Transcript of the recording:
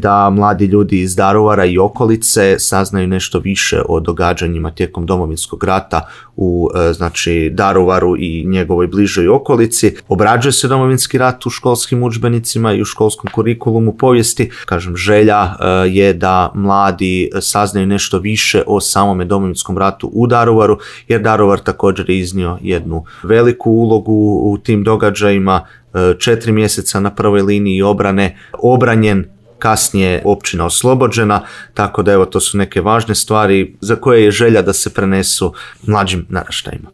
da mladi ljudi iz Daruvara i okolice saznaju nešto više o događanjima tijekom Domovinskog rata u znači Daruvaru i njegovoj bližoj okolici. Obrađuje se Domovinski rat u školskim udžbenicima i u školskom kurikulumu povijesti. Kažem, želja je da mladi saznaju nešto više o samome Domovinskom ratu u Daruvaru, jer Daruvar također je iznio jednu veliku ulogu u tim događajima. 4 mjeseca na prvoj liniji obrane, obranjen, kasnije općina oslobođena, tako da evo to su neke važne stvari za koje je želja da se prenesu mlađim naraštajima.